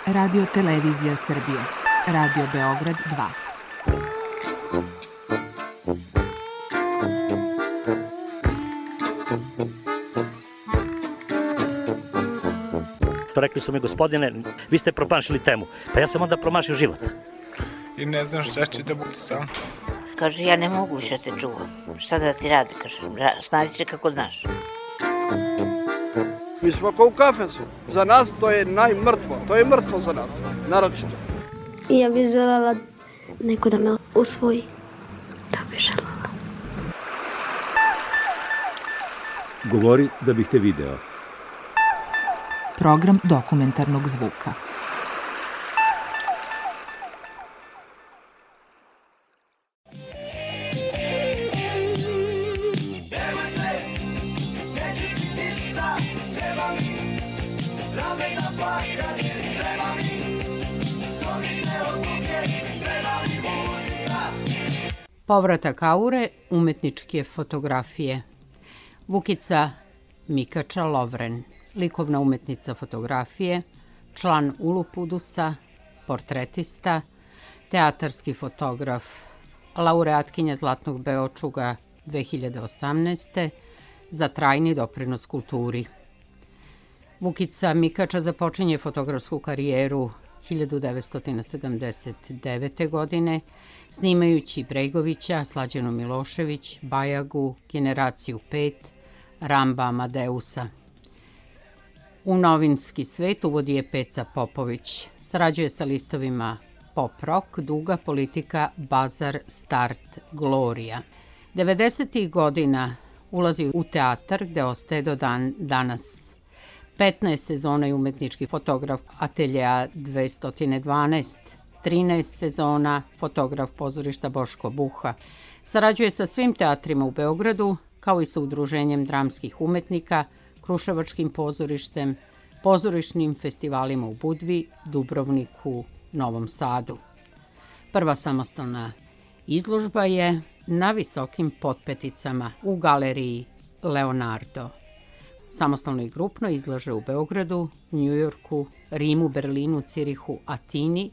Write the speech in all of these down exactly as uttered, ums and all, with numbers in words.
Radio Televizija Srbije, Radio Beograd dva. Rekli su mi, gospodine, vi ste promašili temu. Pa ja sam onda promašio život. I ne znam šta će da bude sam. Kaže, ja ne mogu više te čuvam. Šta da ti radi, kaže, snađi se kako znaš. Mi smo kao u kafesu. Za nas to je najmrtvo. To je mrtvo za nas, naročito. Ja bih želela neko da me usvoji. To bih želela. Govori da bih te video. Program dokumentarnog zvuka. Povratak aure umetničke fotografije. Vukica Mikača Lovren, likovna umetnica fotografije, član Ulupudusa, portretista, teatarski fotograf, laureatkinja Zlatnog Beočuga dve hiljade osamnaeste. za trajni doprinos kulturi. Vukica Mikača započinje fotografsku karijeru hiljadu devetsto sedamdeset devete. godine, snimajući Bregovića, Slađanu Milošević, Bajagu, Generaciju pet, Ramba Amadeusa. U novinski svet uvodi je Peca Popović. Sarađuje sa listovima Pop Rock, Duga, Politika, Bazar, Start, Gloria. devedesetih godina ulazi u teatar gde ostaje do dan danas. petnaest sezona je umetnički fotograf ateljeja dvesta dvanaest, trinaest sezona fotograf pozorišta Boško Buha. Sarađuje sa svim teatrima u Beogradu, kao i sa Udruženjem dramskih umetnika, Kruševačkim pozorištem, pozorišnim festivalima u Budvi, Dubrovniku, Novom Sadu. Prva samostalna izložba je na Visokim potpeticama u galeriji Leonardo. Samostalno i grupno izlaže u Beogradu, Njujorku, Rimu, Berlinu, Cirihu, Atini,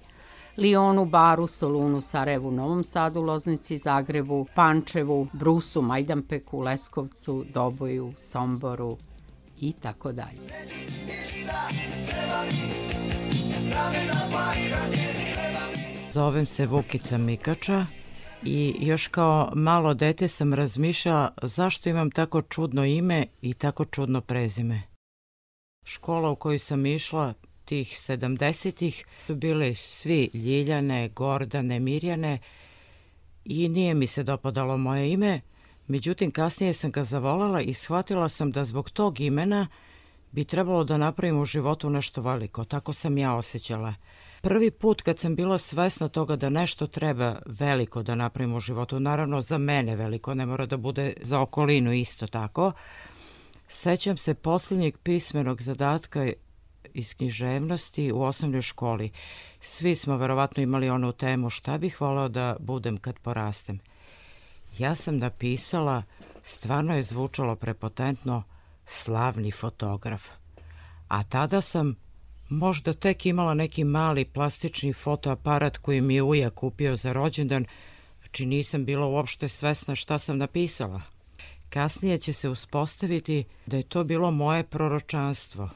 Lionu, Baru, Solunu, Sarajevu, Novom Sadu, Loznici, Zagrebu, Pančevu, Brusu, Majdanpeku, Leskovcu, Doboju, Somboru i tako dalje. Zovem se Vukica Mikača i još kao malo dete sam razmišljala zašto imam tako čudno ime i tako čudno prezime. Škola u koju sam išla tih sedamdesetih su bili svi Ljiljane, Gordane, Mirjane i nije mi se dopadalo moje ime. Međutim, kasnije sam ga zavolela i shvatila sam da zbog tog imena bi trebalo da napravim u životu nešto veliko. Tako sam ja osjećala. Prvi put kad sam bila svesna toga da nešto treba veliko da napravim u životu, naravno za mene veliko, ne mora da bude za okolinu isto tako, sećam se posljednjeg pismenog zadatka iz književnosti u osnovnoj školi. Svi smo verovatno imali onu temu šta bih voleo da budem kad porastem. Ja sam napisala, stvarno je zvučalo prepotentno, slavni fotograf. A tada sam možda tek imala neki mali plastični fotoaparat koji mi je ujak kupio za rođendan, znači nisam bila uopšte svesna šta sam napisala. Kasnije će se uspostaviti da je to bilo moje proročanstvo.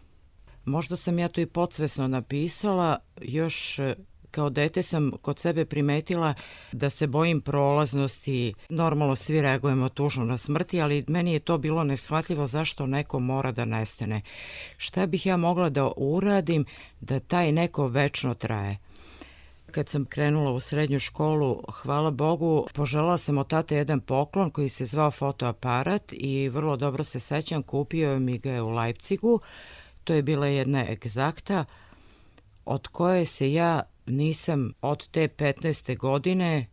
Možda sam ja to i podsvesno napisala, još kao dete sam kod sebe primetila da se bojim prolaznosti. Normalno svi reagujemo tužno na smrti, ali meni je to bilo neshvatljivo zašto neko mora da nestane. Šta bih ja mogla da uradim da taj neko večno traje? Kad sam krenula u srednju školu, hvala Bogu, poželjela sam od tate jedan poklon koji se zvao fotoaparat i vrlo dobro se sećam, kupio mi ga je u Leipzigu. To je bila jedna egzakta od koje se ja nisam od te petnaeste godine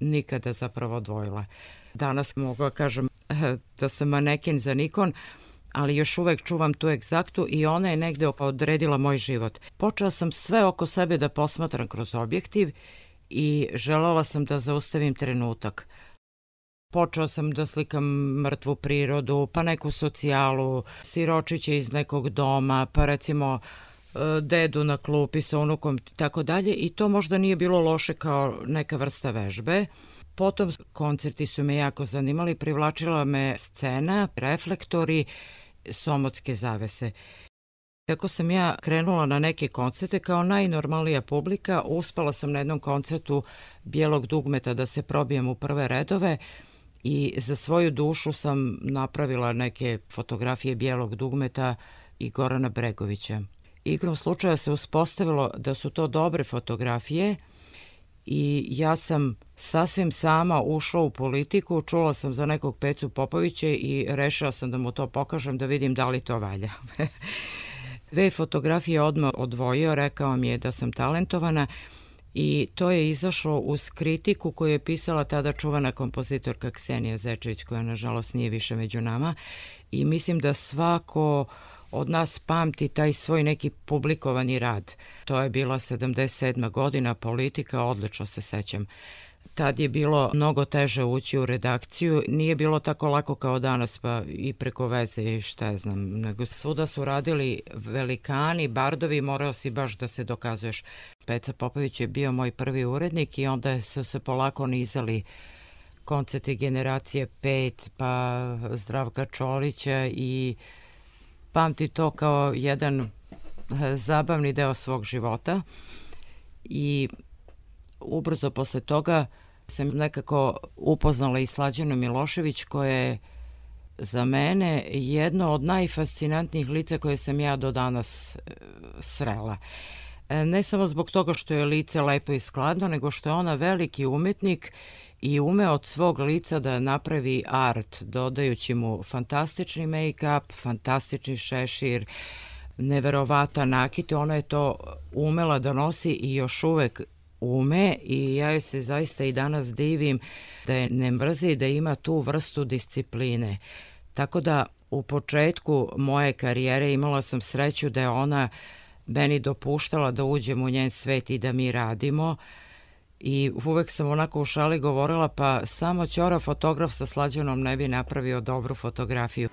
nikada zapravo odvojila. Danas mogu kažem da sam maneken za Nikon, ali još uvek čuvam tu egzaktu i ona je negde odredila moj život. Počela sam sve oko sebe da posmatram kroz objektiv i želela sam da zaustavim trenutak. Počela sam da slikam mrtvu prirodu, pa neku socijalu, siročiće iz nekog doma, pa recimo dedu na klupi sa unukom i tako dalje i to možda nije bilo loše kao neka vrsta vežbe. Potom koncerti su me jako zanimali, privlačila me scena, reflektori, somotske zavese. Kako sam ja krenula na neke koncerte, kao najnormalnija publika, uspela sam na jednom koncertu Bijelog dugmeta da se probijem u prve redove i za svoju dušu sam napravila neke fotografije Bijelog dugmeta i Gorana Bregovića. Igrom slučaja se uspostavilo da su to dobre fotografije i ja sam sasvim sama ušla u politiku, čula sam za nekog Pecu Popovića i rešila sam da mu to pokažem da vidim da li to valja. Dve fotografije odmah odvojio, rekao mi je da sam talentovana i to je izašlo uz kritiku koju je pisala tada čuvana kompozitorka Ksenija Zečević, koja nažalost nije više među nama i mislim da svako od nas pamti taj svoj neki publikovani rad. To je bila sedamdeset sedma godina, politika, odlično se sećam. Tad je bilo mnogo teže ući u redakciju, nije bilo tako lako kao danas, pa i preko veze i šta ja znam, nego svuda su radili velikani, bardovi, morao si baš da se dokazuješ. Peca Popović je bio moj prvi urednik i onda su se polako nizali koncerti Generacije pet, pa Zdravka Čolića i pamti to kao jedan zabavni deo svog života i ubrzo posle toga sam nekako upoznala i Slađanu Milošević, koja je za mene jedno od najfascinantnijih lica koje sam ja do danas srela. Ne samo zbog toga što je lice lepo i skladno, nego što je ona veliki umetnik i ume od svog lica da napravi art, dodajući mu fantastični make-up, fantastični šešir, neverovatan nakit. Ona je to umela da nosi i još uvek ume i ja joj se zaista i danas divim da je ne mrzi, da ima tu vrstu discipline. Tako da u početku moje karijere imala sam sreću da je ona meni dopuštala da uđem u njen svet i da mi radimo i uvek sam onako u šali govorila pa samo ćora fotograf sa Slađanom ne bi napravio dobru fotografiju.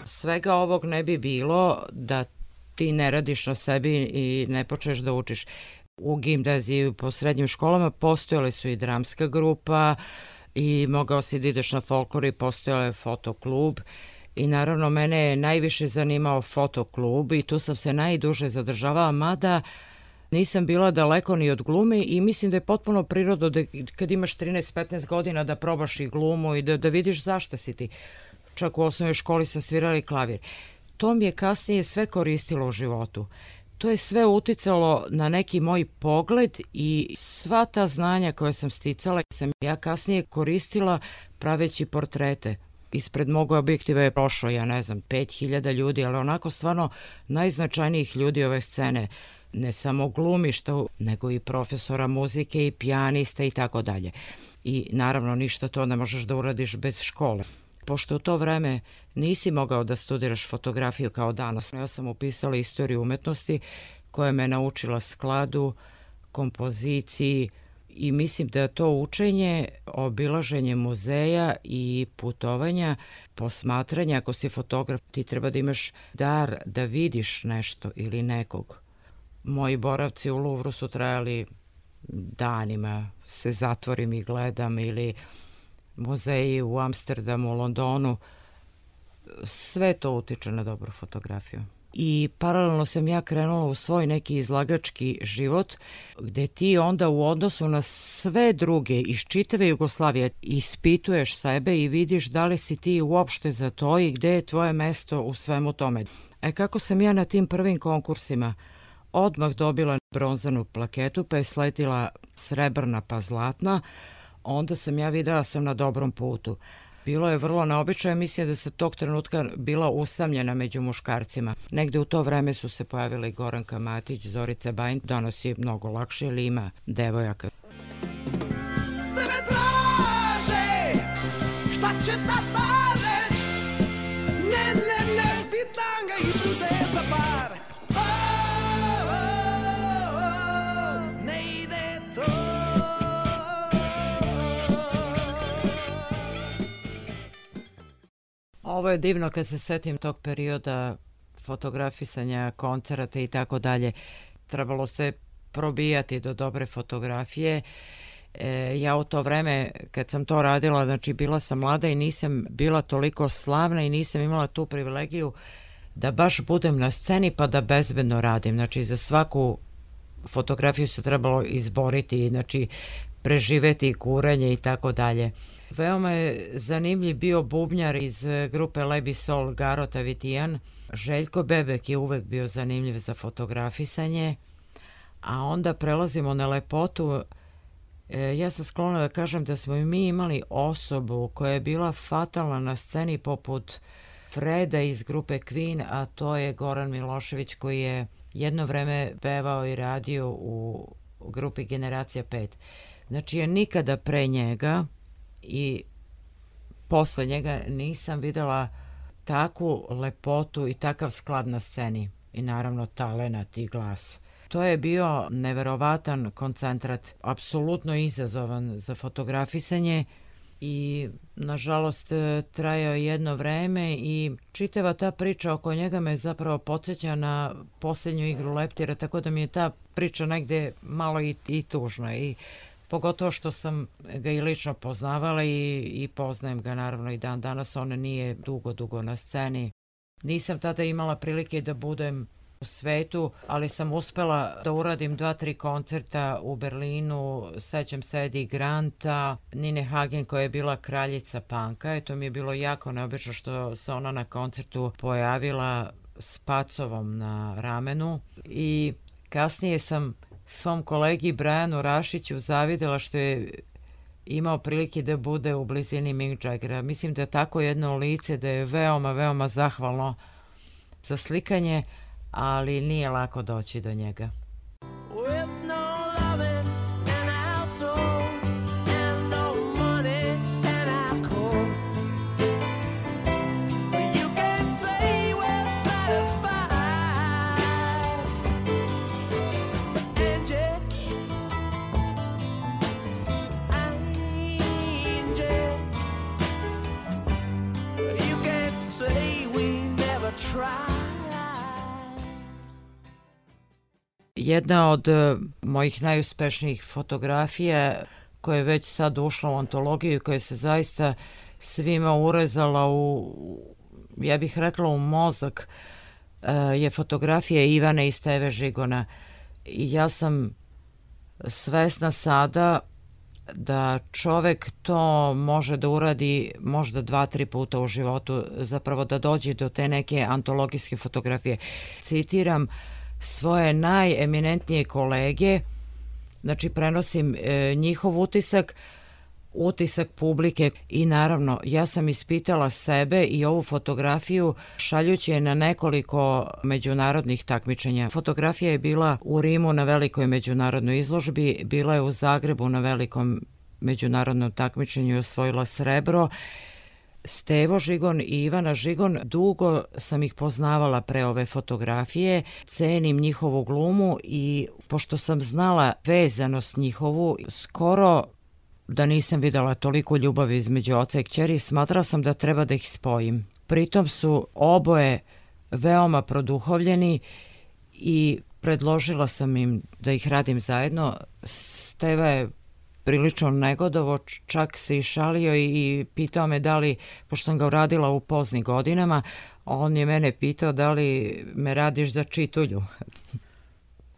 Svega ovog ne bi bilo da ti ne radiš na sebi i ne počneš da učiš. U gimnaziji po srednjim školama postojale su i dramska grupa i mogao si da ideš na folklor i postojala je fotoklub i naravno mene je najviše zanimao fotoklub i tu sam se najduže zadržavala, mada nisam bila daleko ni od glume i mislim da je potpuno prirodno da kad imaš trinaest petnaest godina da probaš i glumu i da, da vidiš zašto si ti. Čak u osnovnoj školi sam svirala i klavir. To mi je kasnije sve koristilo u životu. To je sve uticalo na neki moj pogled i sva ta znanja koje sam sticala sam ja kasnije koristila praveći portrete. Ispred mog objektiva je prošlo, ja ne znam, pet hiljada ljudi, ali onako stvarno najznačajnijih ljudi ove scene. Ne samo glumišta, nego i profesora muzike i pijanista i tako dalje. I naravno ništa to ne možeš da uradiš bez škole. Pošto u to vreme nisi mogao da studiraš fotografiju kao danas, ja sam upisala istoriju umetnosti koja me naučila skladu, kompoziciji i mislim da to učenje, obilaženje muzeja i putovanja, posmatranja, ako si fotograf, ti treba da imaš dar da vidiš nešto ili nekog. Moji boravci u Luvru su trajali danima, se zatvorim i gledam ili muzeji u Amsterdamu, Londonu, sve to utiče na dobru fotografiju. I paralelno sam ja krenula u svoj neki izlagački život, gde ti onda u odnosu na sve druge iz čitave Jugoslavije ispituješ sebe i vidiš da li si ti uopšte za to i gde je tvoje mesto u svemu tome. E kako sam ja na tim prvim konkursima odmah dobila bronzanu plaketu, pa je sletila srebrna pa zlatna, onda sam ja videla sam na dobrom putu. Bilo je vrlo neobično, mislim da se tog trenutka bila usamljena među muškarcima. Negde u to vreme su se pojavili Goranka Matić, Zorica Bajin, danas je mnogo lakše ili ima devojaka. Da me traže, šta će da pare, ne, ne, ne, pitanga i bluze za pare. Oh, oh, oh, ne ide to. Ovo je divno kad se setim tog perioda fotografisanja, koncerata i tako dalje. Trebalo se probijati do dobre fotografije. E, ja u to vreme kad sam to radila, znači bila sam mlada i nisam bila toliko slavna i nisam imala tu privilegiju da baš budem na sceni pa da bezbedno radim. Znači za svaku fotografiju se trebalo izboriti, znači preživeti kurenje i tako dalje. Veoma je zanimljiv bio bubnjar iz grupe Lebi Sol Garo Tavitijan. Željko Bebek je uvek bio zanimljiv za fotografisanje, a onda prelazimo na lepotu. E, ja sam sklona da kažem da smo i mi imali osobu koja je bila fatalna na sceni poput Freda iz grupe Queen, a to je Goran Milošević koji je jedno vreme pevao i radio u grupi Generacija pet. Znači ja nikada pre njega i posle njega nisam videla takvu lepotu i takav sklad na sceni i naravno talenat i glas. To je bio neverovatan koncentrat, apsolutno izazovan za fotografisanje i nažalost trajao jedno vreme i čitava ta priča oko njega me zapravo podsjeća na posljednju igru leptira, tako da mi je ta priča negde malo i, i tužna i pogotovo što sam ga i lično poznavala i, i poznajem ga naravno i dan danas, on nije dugo, dugo na sceni. Nisam tada imala prilike da budem u svetu, ali sam uspela da uradim dva, tri koncerta u Berlinu, sećam se Eddie Granta, Nine Hagen koja je bila kraljica panka, i to mi je bilo jako neobično što se ona na koncertu pojavila s pacovom na ramenu i kasnije sam svom kolegi Brianu Rašiću zavidela što je imao prilike da bude u blizini Mick Jaggera. Mislim da je tako jedno lice da je veoma, veoma zahvalno za slikanje, ali nije lako doći do njega. Jedna od mojih najuspešnijih fotografija koja je već sad ušla u antologiju i koja se zaista svima urezala u, ja bih rekla, u mozak, je fotografija Ivane i Steve Žigona. I ja sam svesna sada da čovek to može da uradi možda dva, tri puta u životu, zapravo da dođe do te neke antologijske fotografije. Citiram svoje najeminentnije kolege, znači prenosim e, njihov utisak, utisak publike i naravno ja sam ispitala sebe i ovu fotografiju šaljući je na nekoliko međunarodnih takmičenja. Fotografija je bila u Rimu na velikoj međunarodnoj izložbi, bila je u Zagrebu na velikom međunarodnom takmičenju i osvojila srebro. Stevo Žigon i Ivana Žigon, dugo sam ih poznavala pre ove fotografije, cenim njihovu glumu i pošto sam znala vezanost njihovu, skoro da nisam videla toliko ljubavi između oca i kćeri, smatrala sam da treba da ih spojim. Pritom su oboje veoma produhovljeni i predložila sam im da ih radim zajedno. Steva je prilično negodovo, čak se i šalio i pitao me da li, pošto sam ga uradila u poznim godinama, on je mene pitao da li me radiš za čitulju.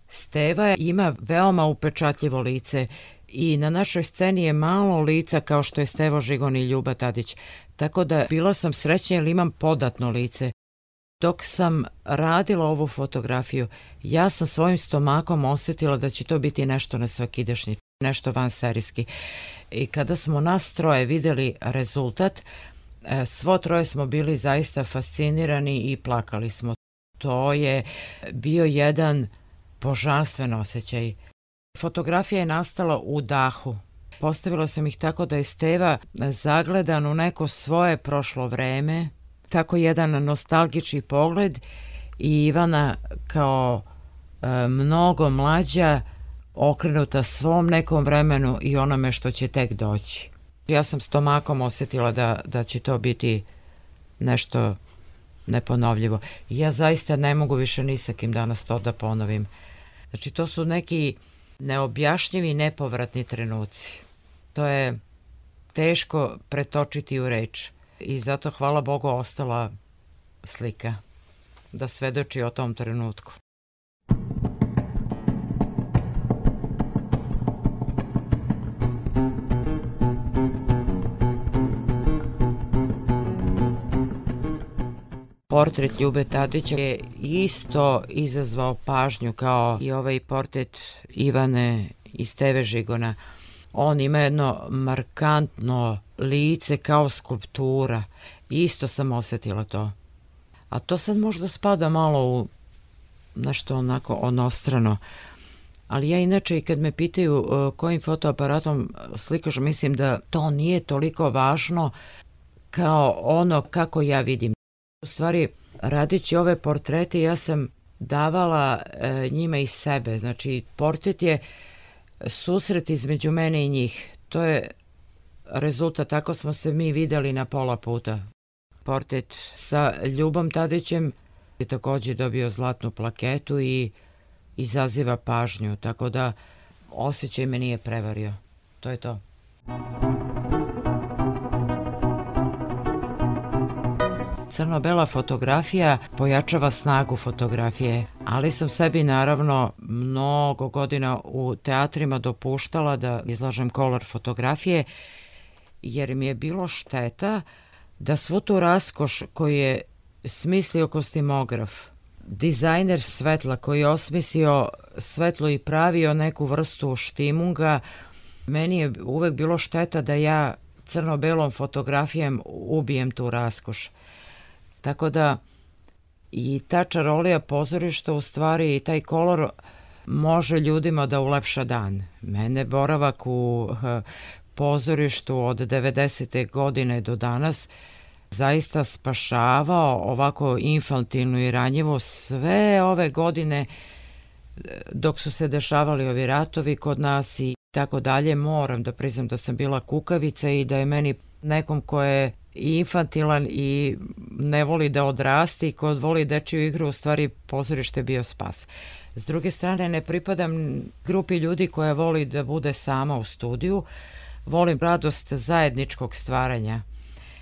Steva ima veoma upečatljivo lice i na našoj sceni je malo lica kao što je Stevo Žigon i Ljuba Tadić, tako da bila sam srećna jer imam podatno lice. Dok sam radila ovu fotografiju, ja sam svojim stomakom osjetila da će to biti nešto nesvakidašnje, nešto vanserijski. I kada smo nas troje videli rezultat, svo troje smo bili zaista fascinirani i plakali smo. To je bio jedan božanstven osjećaj. Fotografija je nastala u dahu. Postavila sam ih tako da je Steva zagledan u neko svoje prošlo vreme, tako jedan nostalgični pogled i Ivana kao e, mnogo mlađa, okrenuta svom nekom vremenu i onome što će tek doći. Ja sam stomakom osjetila da, da će to biti nešto neponovljivo. Ja zaista ne mogu više ni sa kim danas to da ponovim. Znači, to su neki neobjašnjivi, nepovratni trenuci. To je teško pretočiti u reč. I zato, hvala Bogu, ostala slika da svedoči o tom trenutku. Portret Ljube Tadića je isto izazvao pažnju kao i ovaj portret Ivane iz te ve Žigona. On ima jedno markantno lice kao skulptura. Isto sam osjetila to. A to sad možda spada malo u nešto onako onostrano. Ali ja inače i kad me pitaju uh, kojim fotoaparatom slikaš, mislim da to nije toliko važno kao ono kako ja vidim. U stvari, radeći ove portrete, ja sam davala e, njima iz sebe. Znači, portret je susret između mene i njih. To je rezultat, tako smo se mi videli na pola puta. Portret sa Ljubom Tadićem je također dobio zlatnu plaketu i izaziva pažnju, tako da osjećaj me nije prevario. To je to. Crno-bela fotografija pojačava snagu fotografije, ali sam sebi naravno mnogo godina u teatrima dopuštala da izlažem kolor fotografije, jer mi je bilo šteta da svu tu raskoš koju je smislio kostimograf, dizajner svetla koji je osmislio svetlo i pravio neku vrstu štimunga, meni je uvek bilo šteta da ja crno-belom fotografijom ubijem tu raskoš. Tako da i ta čarolija pozorišta u stvari i taj kolor može ljudima da ulepša dan. Mene boravak u pozorištu od devedesete godine do danas zaista spašavao ovako infantilnu i ranjivu sve ove godine dok su se dešavali ovi ratovi kod nas i tako dalje. Moram da priznam da sam bila kukavica i da je meni nekom ko je i infantilan i ne voli da odrasti i ko voli dečiju igru, u stvari pozorište bio spas. S druge strane, ne pripadam grupi ljudi koja voli da bude sama u studiju, volim radost zajedničkog stvaranja.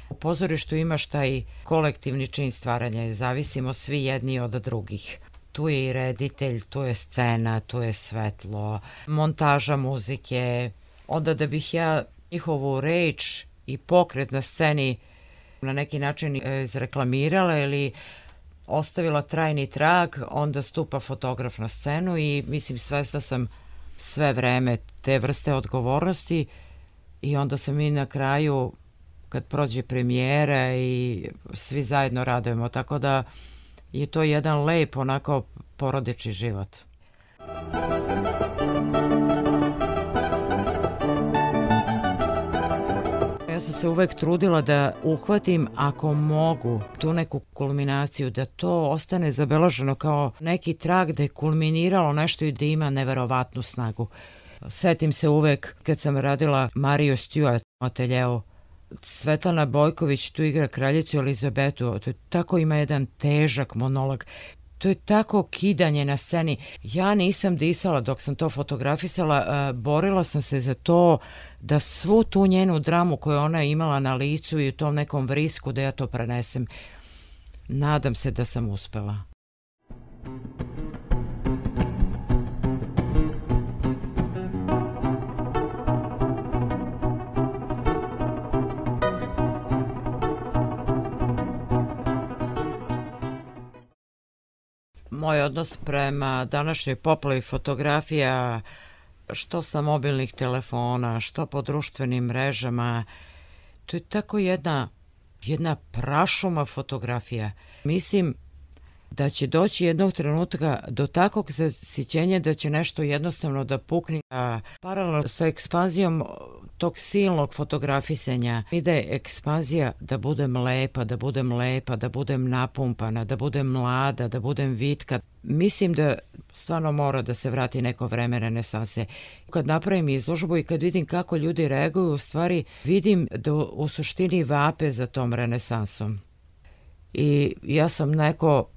U pozorištu imaš taj kolektivni čin stvaranja, zavisimo svi jedni od drugih. Tu je i reditelj, tu je scena, tu je svetlo, montaža muzike. Onda da bih ja njihovu reč i pokret na sceni na neki način izreklamirala ili ostavila trajni trag, onda stupa fotograf na scenu i mislim svesna sam sve vreme te vrste odgovornosti i onda se mi na kraju kad prođe premijera i svi zajedno radujemo, tako da je to jedan lep onako porodični život. Ja sam se uvek trudila da uhvatim, ako mogu, tu neku kulminaciju, da to ostane zabeleženo kao neki trag da je kulminiralo nešto i da ima neverovatnu snagu. Setim se uvek kad sam radila Mariju Stewart u ateljeu. Svetlana Bojković tu igra kraljicu Elizabetu, to je tako ima jedan težak monolog. To je tako kidanje na sceni. Ja nisam disala dok sam to fotografisala, borila sam se za to da svu tu njenu dramu koju ona imala na licu i u tom nekom vrisku da ja to prenesem. Nadam se da sam uspela. Moj odnos prema današnjoj poplavi fotografija, što sa mobilnih telefona, što po društvenim mrežama, to je tako jedna, jedna prašuma fotografija. Mislim da će doći jednog trenutka do takvog zasićenja da će nešto jednostavno da pukne. A paralelno sa ekspanzijom tog silnog fotografisanja ide ekspanzija da budem lepa, da budem lepa, da budem napumpana, da budem mlada, da budem vitka. Mislim da stvarno mora da se vrati neko vreme renesanse. Kad napravim izložbu i kad vidim kako ljudi reaguju, u stvari vidim da u suštini vape za tom renesansom. I ja sam neko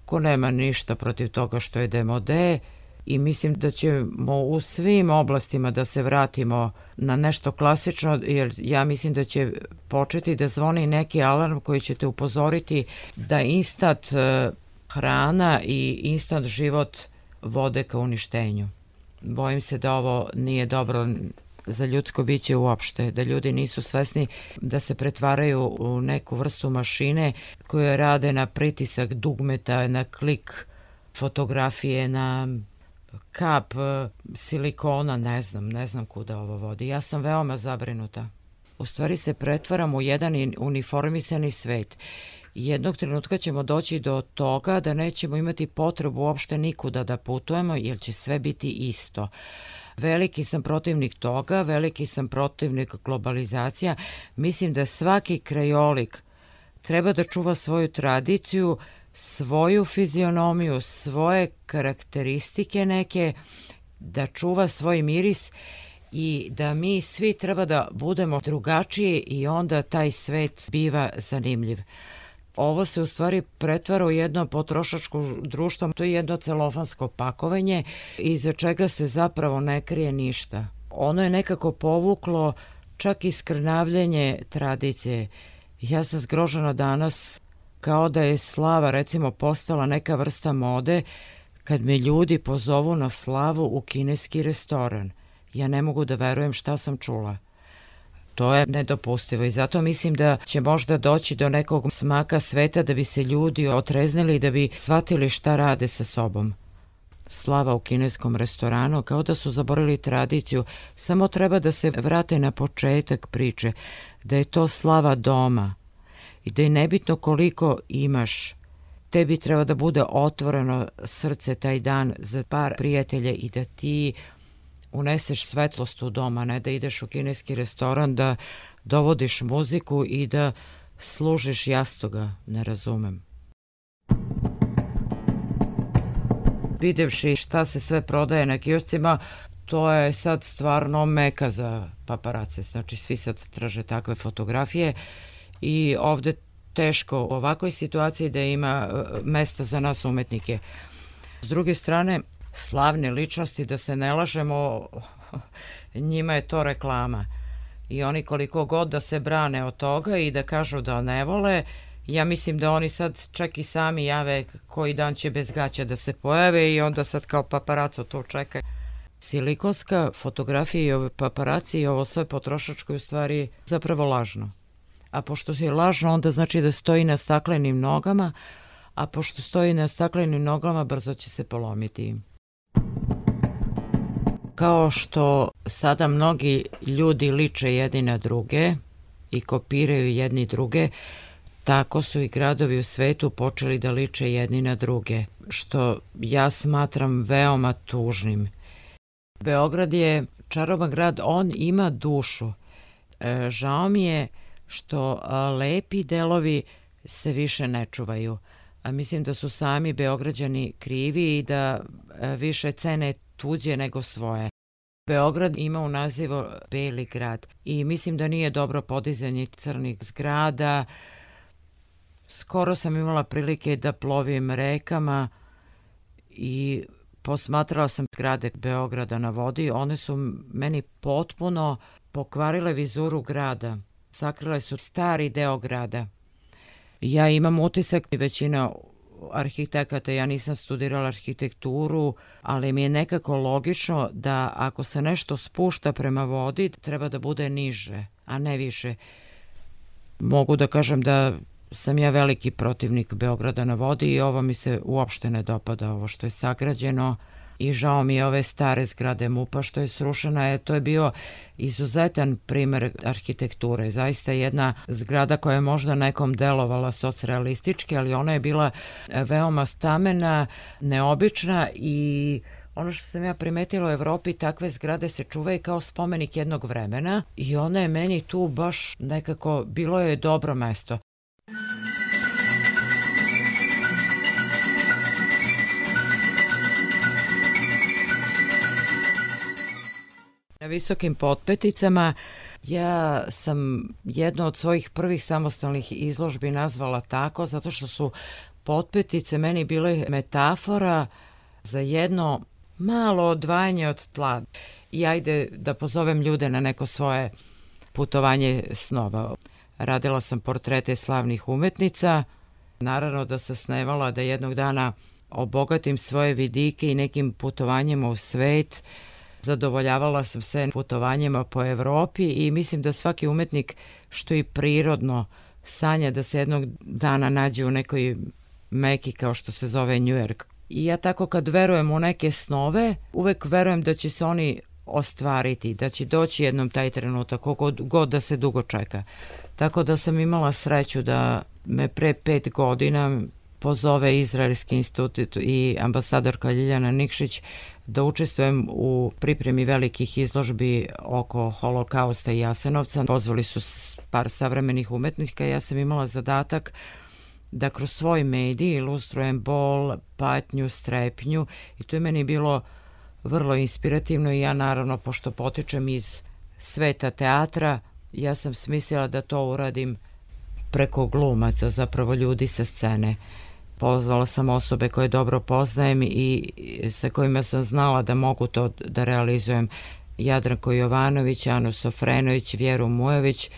ko nema ništa protiv toga što je demode i mislim da ćemo u svim oblastima da se vratimo na nešto klasično, jer ja mislim da će početi da zvoni neki alarm koji će te upozoriti da instant hrana i instant život vode ka uništenju. Bojim se da ovo nije dobro za ljudsko biće uopšte, da ljudi nisu svesni da se pretvaraju u neku vrstu mašine koje rade na pritisak dugmeta, na klik fotografije, na kap silikona, ne znam, ne znam kuda ovo vodi. Ja sam veoma zabrinuta. U stvari se pretvaram u jedan uniformisani svet. Jednog trenutka ćemo doći do toga da nećemo imati potrebu uopšte nikuda da putujemo, jer će sve biti isto. Veliki sam protivnik toga, veliki sam protivnik globalizacija. Mislim da svaki krajolik treba da čuva svoju tradiciju, svoju fizionomiju, svoje karakteristike neke, da čuva svoj miris i da mi svi treba da budemo drugačiji i onda taj svet biva zanimljiv. Ovo se u stvari pretvara u jedno potrošačko društvo, to je jedno celofansko pakovanje iza čega se zapravo ne krije ništa. Ono je nekako povuklo čak i skrnavljenje tradicije. Ja sam zgrožena danas kao da je slava recimo postala neka vrsta mode kad me ljudi pozovu na slavu u kineski restoran. Ja ne mogu da verujem šta sam čula. To je nedopustivo i zato mislim da će možda doći do nekog smaka sveta da bi se ljudi otreznili i da bi shvatili šta rade sa sobom. Slava u kineskom restoranu, kao da su zaboravili tradiciju, samo treba da se vrate na početak priče, da je to slava doma i da je nebitno koliko imaš. Tebi treba da bude otvoreno srce taj dan za par prijatelja i da ti uneseš svetlost u dom, a ne da ideš u kineski restoran, da dovodiš muziku i da služiš jastoga, ne razumem. Videvši šta se sve prodaje na kioscima, to je sad stvarno meka za paparace. Znači, svi sad traže takve fotografije i ovde teško u ovakvoj situaciji da ima mesta za nas umetnike. S druge strane, slavne ličnosti, da se ne lažemo, njima je to reklama. I oni koliko god da se brane od toga i da kažu da ne vole, ja mislim da oni sad čak i sami jave koji dan će bez gaća da se pojave i onda sad kao paparaco to čeka. Silikonska fotografija i ove paparaci i ovo sve potrošačko je u stvari zapravo lažno. A pošto je lažno, onda znači da stoji na staklenim nogama, a pošto stoji na staklenim nogama, brzo će se polomiti. Kao što sada mnogi ljudi liče jedni na druge i kopiraju jedni druge, tako su i gradovi u svetu počeli da liče jedni na druge, što ja smatram veoma tužnim. Beograd je čaroban grad, on ima dušu. E, žao mi je što a, lepi delovi se više ne čuvaju. A mislim da su sami Beograđani krivi i da a, više cene tuđe nego svoje. Beograd ima u nazivu Beli grad i mislim da nije dobro podizanje crnih zgrada. Skoro sam imala prilike da plovim rekama i posmatrala sam zgrade Beograda na vodi. One su meni potpuno pokvarile vizuru grada. Sakrile su stari deo grada. Ja imam utisak i većina arhitekata, ja nisam studirala arhitekturu, ali mi je nekako logično da ako se nešto spušta prema vodi, treba da bude niže, a ne više. Mogu da kažem da sam ja veliki protivnik Beograda na vodi i ovo mi se uopšte ne dopada, ovo što je sagrađeno. I žao mi je ove stare zgrade MUP-a što je srušena, je, to je bio izuzetan primer arhitekture. Zaista jedna zgrada koja je možda nekom delovala socrealistički, ali ona je bila veoma stamena, neobična i ono što sam ja primetila u Evropi, takve zgrade se čuvaju kao spomenik jednog vremena i ona je meni tu baš nekako, bilo je dobro mesto. Na visokim potpeticama Ja sam jednu od svojih prvih samostalnih izložbi nazvala tako zato što su potpetice meni bile metafora za jedno malo odvajanje od tla. I ajde da pozovem ljude na neko svoje putovanje snova. Radila sam portrete slavnih umetnica. Naravno da sam snevala da jednog dana obogatim svoje vidike i nekim putovanjima u svet. Zadovoljavala sam se putovanjima po Evropi i mislim da svaki umetnik, što i prirodno, sanja da se jednog dana nađe u nekoj meki kao što se zove New York. I ja tako kad verujem u neke snove, uvek verujem da će se oni ostvariti, da će doći jednom taj trenutak, kogod god da se dugo čeka. Tako da sam imala sreću da me pre pet godina pozove Izraelski institut i ambasadorka Ljiljana Nikšić da učestvujem u pripremi velikih izložbi oko Holokausta i Jasenovca. Pozvali su par savremenih umetnika i ja sam imala zadatak da kroz svoj medij ilustrujem bol, patnju, strepnju i to je meni bilo vrlo inspirativno i ja naravno, pošto potičem iz sveta teatra, ja sam smislila da to uradim preko glumaca, zapravo ljudi sa scene. Pozvala sam osobe koje dobro poznajem i sa kojima sam znala da mogu to da realizujem. Jadranko Jovanović, Anu Sofrenović, Vjeru Mujović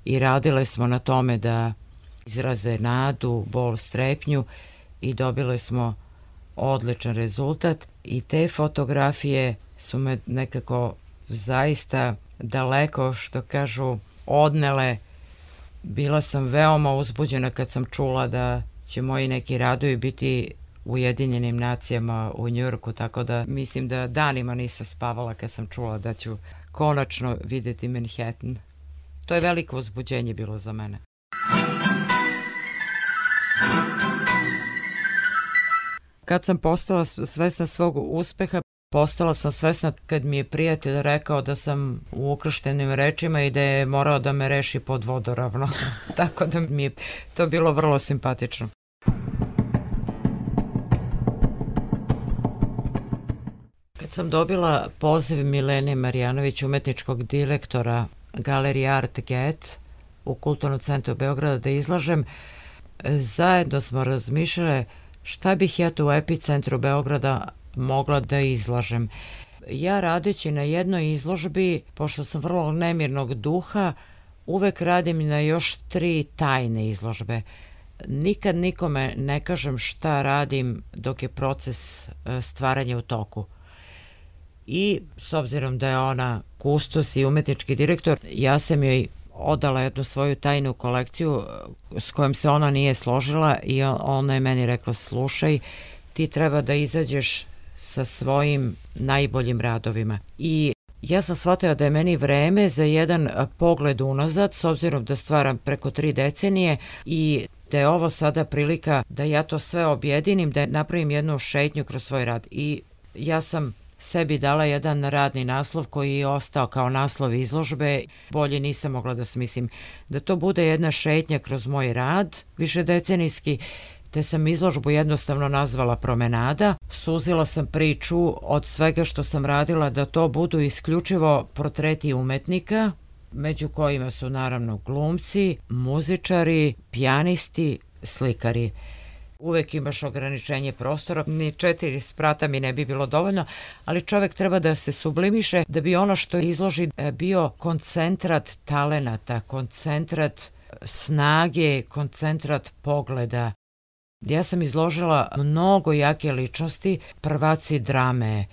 i radile smo na tome da izraze nadu, bol, strepnju i dobile smo odličan rezultat i te fotografije su me nekako zaista daleko, što kažu, odnele. Bila sam veoma uzbuđena kad sam čula da će moji neki radovi biti u Ujedinjenim nacijama u Njujorku, tako da mislim da danima nisam spavala kad sam čula da ću konačno videti Manhattan. To je veliko uzbuđenje bilo za mene. Kad sam postala svesna svog uspeha, postala sam svesna kad mi je prijatelj rekao da sam u ukrštenim rečima i da je morao da me reši pod vodoravno. Tako da mi je to bilo vrlo simpatično. Kad sam dobila poziv Milene Marjanović, umetničkog direktora Galerije Art Get u Kulturnom centru Beograda, da izlažem, zajedno smo razmišljale šta bih ja tu u epicentru Beograda mogla da izlažem. Ja radeći na jednoj izložbi, pošto sam vrlo nemirnog duha, uvek radim na još tri tajne izložbe. Nikad nikome ne kažem šta radim dok je proces stvaranja u toku. I s obzirom da je ona kustos i umetnički direktor, ja sam joj odala jednu svoju tajnu kolekciju s kojom se ona nije složila i ona je meni rekla: slušaj, ti treba da izađeš sa svojim najboljim radovima. I ja sam shvatila da je meni vreme za jedan pogled unazad, s obzirom da stvaram preko tri decenije i da je ovo sada prilika da ja to sve objedinim, da napravim jednu šetnju kroz svoj rad. I ja sam sebi dala jedan radni naslov koji je ostao kao naslov izložbe. Bolje nisam mogla da smislim. Da to bude jedna šetnja kroz moj rad, višedecenijski, te sam izložbu jednostavno nazvala Promenada. Suzila sam priču od svega što sam radila da to budu isključivo portreti umetnika, među kojima su naravno glumci, muzičari, pijanisti, slikari. Uvek imaš ograničenje prostora, ni četiri sprata mi ne bi bilo dovoljno, ali čovek treba da se sublimiše da bi ono što izloži bio koncentrat talenata, koncentrat snage, koncentrat pogleda. Ja sam izložila mnogo jake ličnosti, prvaci drame,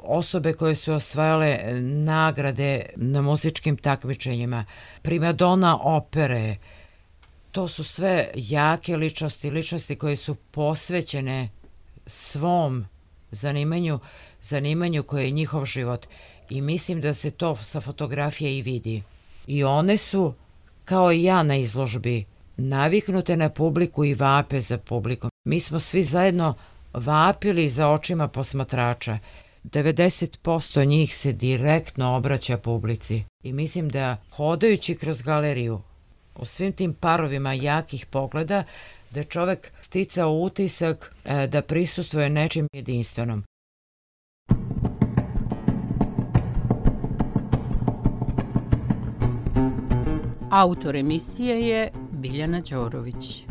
osobe koje su osvajale nagrade na muzičkim takmičenjima, primadona opere. To su sve jake ličnosti, ličnosti koje su posvećene svom zanimanju, zanimanju koje je njihov život. I mislim da se to sa fotografije i vidi. I one su, kao i ja na izložbi, naviknute na publiku i vape za publikom. Mi smo svi zajedno vapili za očima posmatrača. devedeset posto njih se direktno obraća publici. I mislim da hodajući kroz galeriju, u svim tim parovima jakih pogleda, da je čovek sticao utisak da prisustvuje nečim jedinstvenom. Autor emisije je Biljana Đorović.